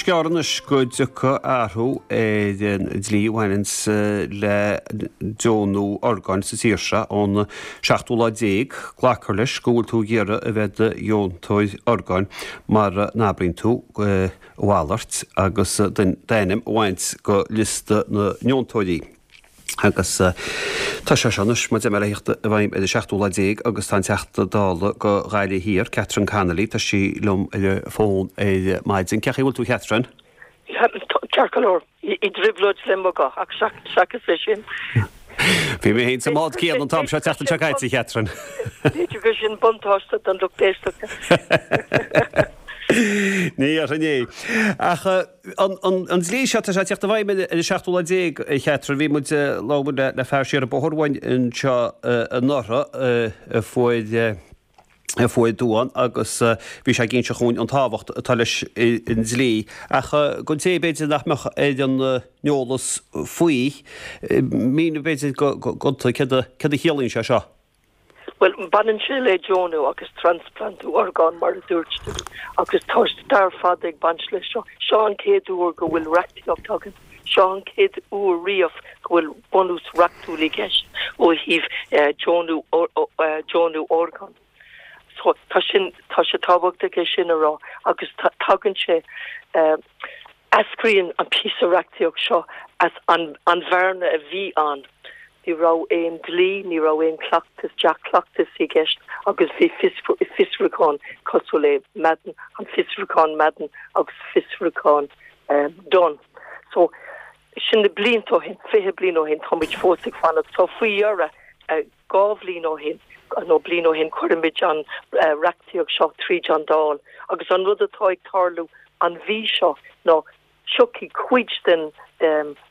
gearr anois go dtiocfaidh athrú ar an dlí a bhaineanns le deonú orgáin sa tír seo ón seachtú lá déag. Glacfar leis go bhfuil tú ag iarraidh a bheith i do dheontóir orgáin mara n-abraíonn tú a mhalairt agus d'ainm a bhaint de liosta na ndeontóirí. Agus tá sé seo anois, mar a deir mé, le theacht i bhfeidhm ar an seachtú lá déag agus tá an Teachta Dála do Ghaillimh Thiar, Catherine Connolly, tá sí liom ar an bhfón ar maidin. Cén chaoi a bhfuil tú, a Chatherine? Ceart go leor. I dtrioblóid le mo ghuth, ach seachas é sin. Bhí mé féin sa mbád céanna an t-am seo an tseachtain seo caite, a Chatherine. B'fhéidir gur sin buntáiste don lucht éisteachta. Ní dhéarfainn é. Ach An dlí seo, tá sé ag teacht i bhfeidhm ar an seachtú lá déag, a Chatherine. Bhí muid, labhair muid le fear siar an bóthar uainn anseo anuraidh a fuair a fuair duán agus bhí sé ag inse dhúinn an tábhacht atá leis an dlí. Ach don té b'fhéidir nach mbeadh ar an eolas faoi, mínigh b'fhéidir gonta céard a chiallaíonn sé seo. Bhuel, baineann sé le deonú agus trasplantú orgán, mar a dúirt tú, agus tá stair fada ag baint leis seo. Seo an chéad uair go bhfuil reachtaíocht againn. Seo an chéad uair riamh go bhfuil bunús reachtúil i gceist ó thaobh deonú deonú orgán. So, tá sin, tá sé tábhachtach é sin a rá agus tagann sé, Eascraíonn an píosa reachtaíocht seo as an bhearna a bhí ann. Ní raibh aon dlí, ní raibh aon chleachtas, dea-chleachtas i gceist agus bhí fiosrúchán cosúil le Madden, an fiosrúchán Madden agus fiosrúchán Dunne. So, sin na blianta ó shin, 20 bliain ó shin, táimid fós ag fanacht. So, faoi dheireadh, 2 bhliain ó shin, nó bliain ó shin, chuirimid an reachtaíocht seo tríd an Dáil agus an rud atá ag tarlú an mhí seo ná tiocfaidh cuid den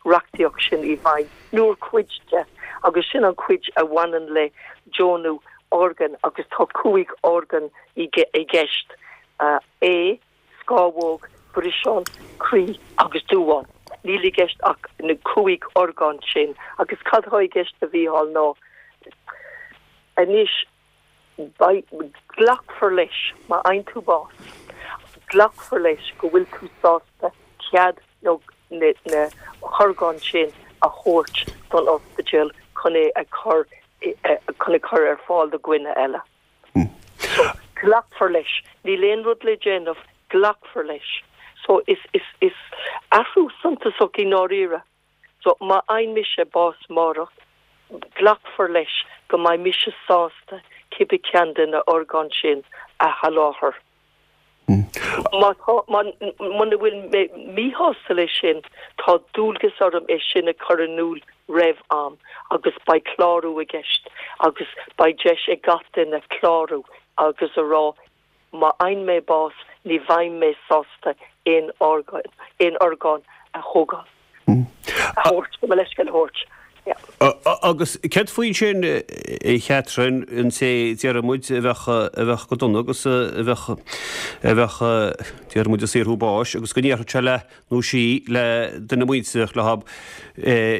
reachtaíocht sin i bhfeidhm, nó cuid de, agus sin an chuid a bhaineann le deonú orgán agus tá 5 orgán i gceist, ae, scamhóg, breiseán, croí agus duán. Níl i gceist ach na 5 orgán sin agus cad atá i gceist a Mhícheáil ná anois beidh, glacfar leis, má fhaigheann tú bás, glacfar leis go bhfuil tú sásta cead nó na horgáin sin a thabhairt don ospidéal chun é a chur chun a chur ar fáil do dhuine eile. So, glacfar leis. Níl aon rud le déanamh, glacfar leis. So, is, is, is athrú suntasach i ndáiríre. So, má fhaigheann mise bás amárach, glacfar leis go mbeidh mise sásta cibé ceann de na orgáin sin a sholáthar. Má tá, muna bhfuil mé míshásta leis sin, tá dualgas orm é sin a chur in iúl roimh am agus beidh clárú i gceist agus beidh deis ag gach duine clárú agus a rá má fhaigheann mé bás ní bheidh mé sásta aon orgán, aon orgán a thógáil. a thabhairt, mo leithscéal a thabhairt. Yeah. Agus céard faoi sin, a Chatherine, an té, déarfaidh muid, a bheadh, a bheadh go dona agus a bheadh, a bheadh, déarfaidh muid, ag saothrú báis agus go ndéarfadh sé le, nó sí, le duine muinteartha leo,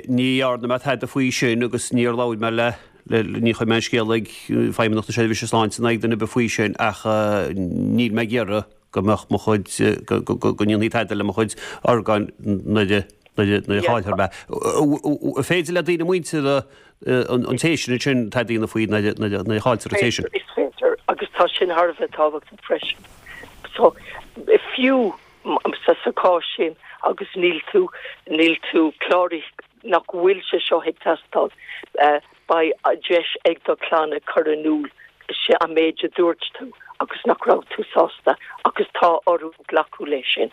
ní dhearna mé tada faoi sin agus níor labhair mé le, le, ní chuir mé an scéal ag Feidhmeannacht na Seirbhíse Sláinte ná ag duine ar bith faoi sin ach níl mé ag iarraidh go mbeadh mo chuid, go ndéanfaí tada le mo chuid orgáin nuair a, nuair a chaillfear mé. An féidir le daoine muinteartha an té sin ansin tada a dhéanamh faoi nuair a chailltear an té sin? Is féidir, agus tá sin thar a bheith tábhachtach freisin. So, fiú sa chás sin agus níl tú, níl tú cláraithe, nach bhfuil sé seo ag teastáil, beidh deis ag do chlann a chur in iúl sé an méid a dúirt tú agus nach raibh tú sásta agus tá orthu glacadh leis sin.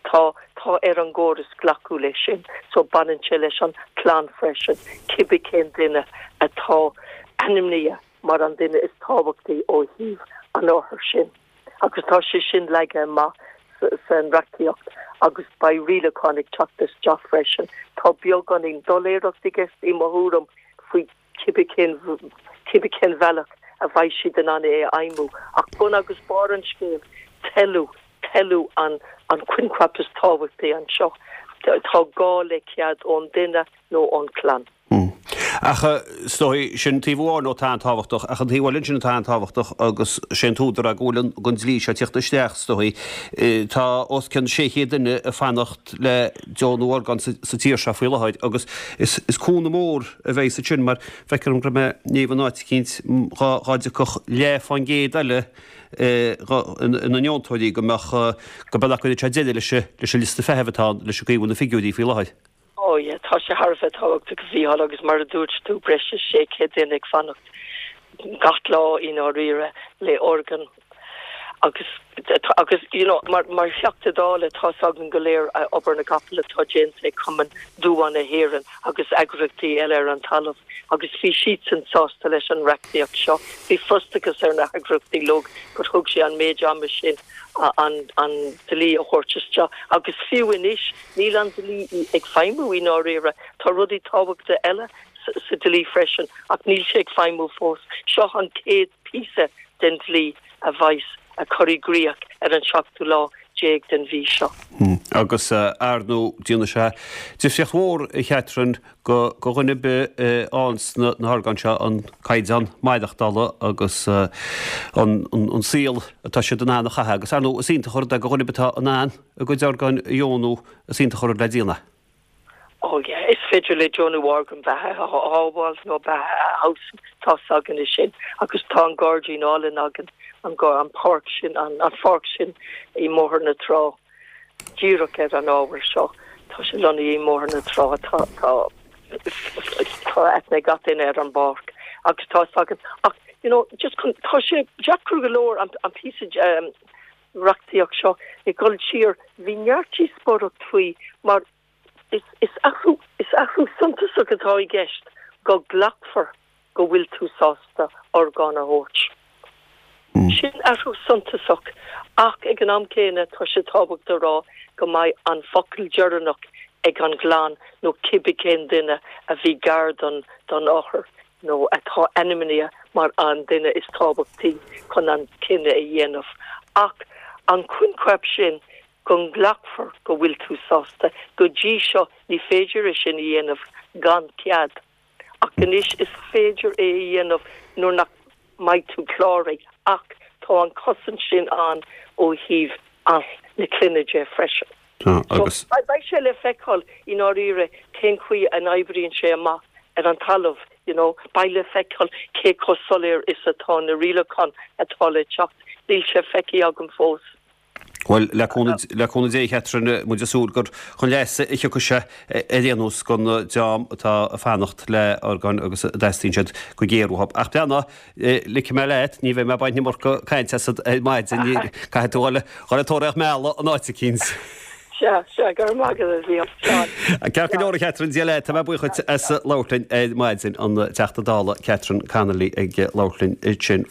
Tá, tá ar an gcóras glacadh leis sin so baineann sé leis an chlann freisin, cibé cén duine atá ainmnithe mar an duine is tábhachtaí ó thaobh an othair sin. Agus tá sé sin leagtha amach san reachtaíocht agus beidh rialacháin ag teacht isteach freisin. Tá beagáinín doiléireacht i gceist i mo thuairim faoi cibé cén cibé cén bhealach a bheidh siad in ann é a fheidhmiú. Ach bun agus barr an scéil, toiliú, toiliú an an coincheap is tábhachtaí anseo. Tá gá le cead ón duine nó ón chlann. Ach is dóigh, sin taobh amháin atá an-tábhachtach, ach an taobh eile ansin atá an-tábhachtach agus sé an t-údar go bhfuil an dlí seo ag tíocht isteach, is dóigh, tá os cionn 600 duine ag fanacht le deonú orgán sa tír seo faoi láthair agus is cúnamh mór a bheidh sa sin mar feictear dom go raibh mé ag léamh in áit eicínt dhá dtiocfadh leath fán gcéad eile ina ndeontóirí go mbeadh, go bealach go gcuirfeadh sé deireadh leis an liosta feithimh atá ann leis an gcaoi a bhfuil na figiúirí faoi láthair. Oh yeah, tá sé thar a bheith tábhachtach a Mhícheáil agus mar a dúirt tú breis is 600 duine ag fanacht gach lá i ndáiríre le orgán agus agus you know mar mar Theachta Dála tá's againn go léir obair na gcapall atá déanta ag Cumann Damhán na hÉireann agus eagraíochtaí eile ar an talamh agus bhí siadsan sásta leis an reachtaíocht seo. Bhí frustrachas ar na heagraíochtaí uilig gur thóg sé an méid ama sin an an dlí a thabhairt isteach agus fiú anois Níl an dlí ag feidhmiú i ndáiríre. Tá rudaí tábhachta eile sa dlí freisin ach níl sé ag feidhmiú fós. Seo an chéad píosa den dlí a bheas á chur i gcrích ar an seachtú lá déag den mhí seo. Agus ar ndóigh, déanfaidh sé difríocht mhór, a Chatherine, go dhuine ar bith a fhaigheanns na horgáin seo an caighdeán maireachtála agus an saol atá siad in ann a chaitheamh. Agus ar ndóigh, is iontach an rud é go dhuine ar bith atá in ann a gcuid orgáin a dheonú, is iontach an rud le déanamh é. Oh yeah, is féidir le deonú orgán beatha a shábháil nó beatha a fheabhsú, tá's againn é sin. Agus tá an gairdín álainn againn, an an páirc sin, an an pháirc sin i mBóthar na Trá, díreach ar an ábhar seo. Tá sé lonnaithe i mBóthar na Trá, tá tá tá aithne ag gach duine ar an bpáirc agus tá's againn. Ach, you know, just chun, tá sé deacair go leor an an píosa reachtaíocht seo ag dul siar, bhí neart díospóireacht faoi mar is athrú, is athrú suntasach atá i gceist go nglacfar go bhfuil tú sásta orgán a thabhairt. Sin athrú suntasach ach ag an am céanna tá sé tábhachtach a rá go mbeidh an focal deireanach ag an gclann nó cibé cén duine a bhí gar don don othar nó atá ainmnithe mar an duine is tábhachtaí chun an cinneadh a dhéanamh, ach an coincheap sin go nglacfar go bhfuil tú sásta, go dtí seo ní féidir é sin a dhéanamh gan cead, ach anois is féidir é a dhéanamh nuair nach mbeidh tú cláraithe, ach tá an chosaint sin ann ó thaobh na clainne de freisin. Tá, agus. So, beidh sé le feiceáil i ndáiríre cén chaoi a n-oibríonn sé amach ar an talamh, you know. Beidh le feiceáil cé chomh soiléir is atá na rialacháin atá le teacht. Níl sé feicthe agam fós. Bhuel, le cúnamh, le cúnamh Dé, a Chatherine, muid ag súil gur chun leasa a thiocfaidh sé ar aon nós don dream atá ag fanacht le orgáin agus a dteastaíonn siad go géar uathu. Ach breathnaigh, Ligfidh mé leat, ní bheidh mé ag baint an iomarca cainte asat ar maidin, caithfidh tú dhul ag tóraíocht meala in áit eicínt. Sea, sea, go raibh maith agat, a Mhícheáil. Slán. Ceart go leor, a Chatherine, Dia leat, tá mé buíoch duit as labhairt linn ar maidin, an Teachta Dála Catherine Connolly ag labhairt linn ansin.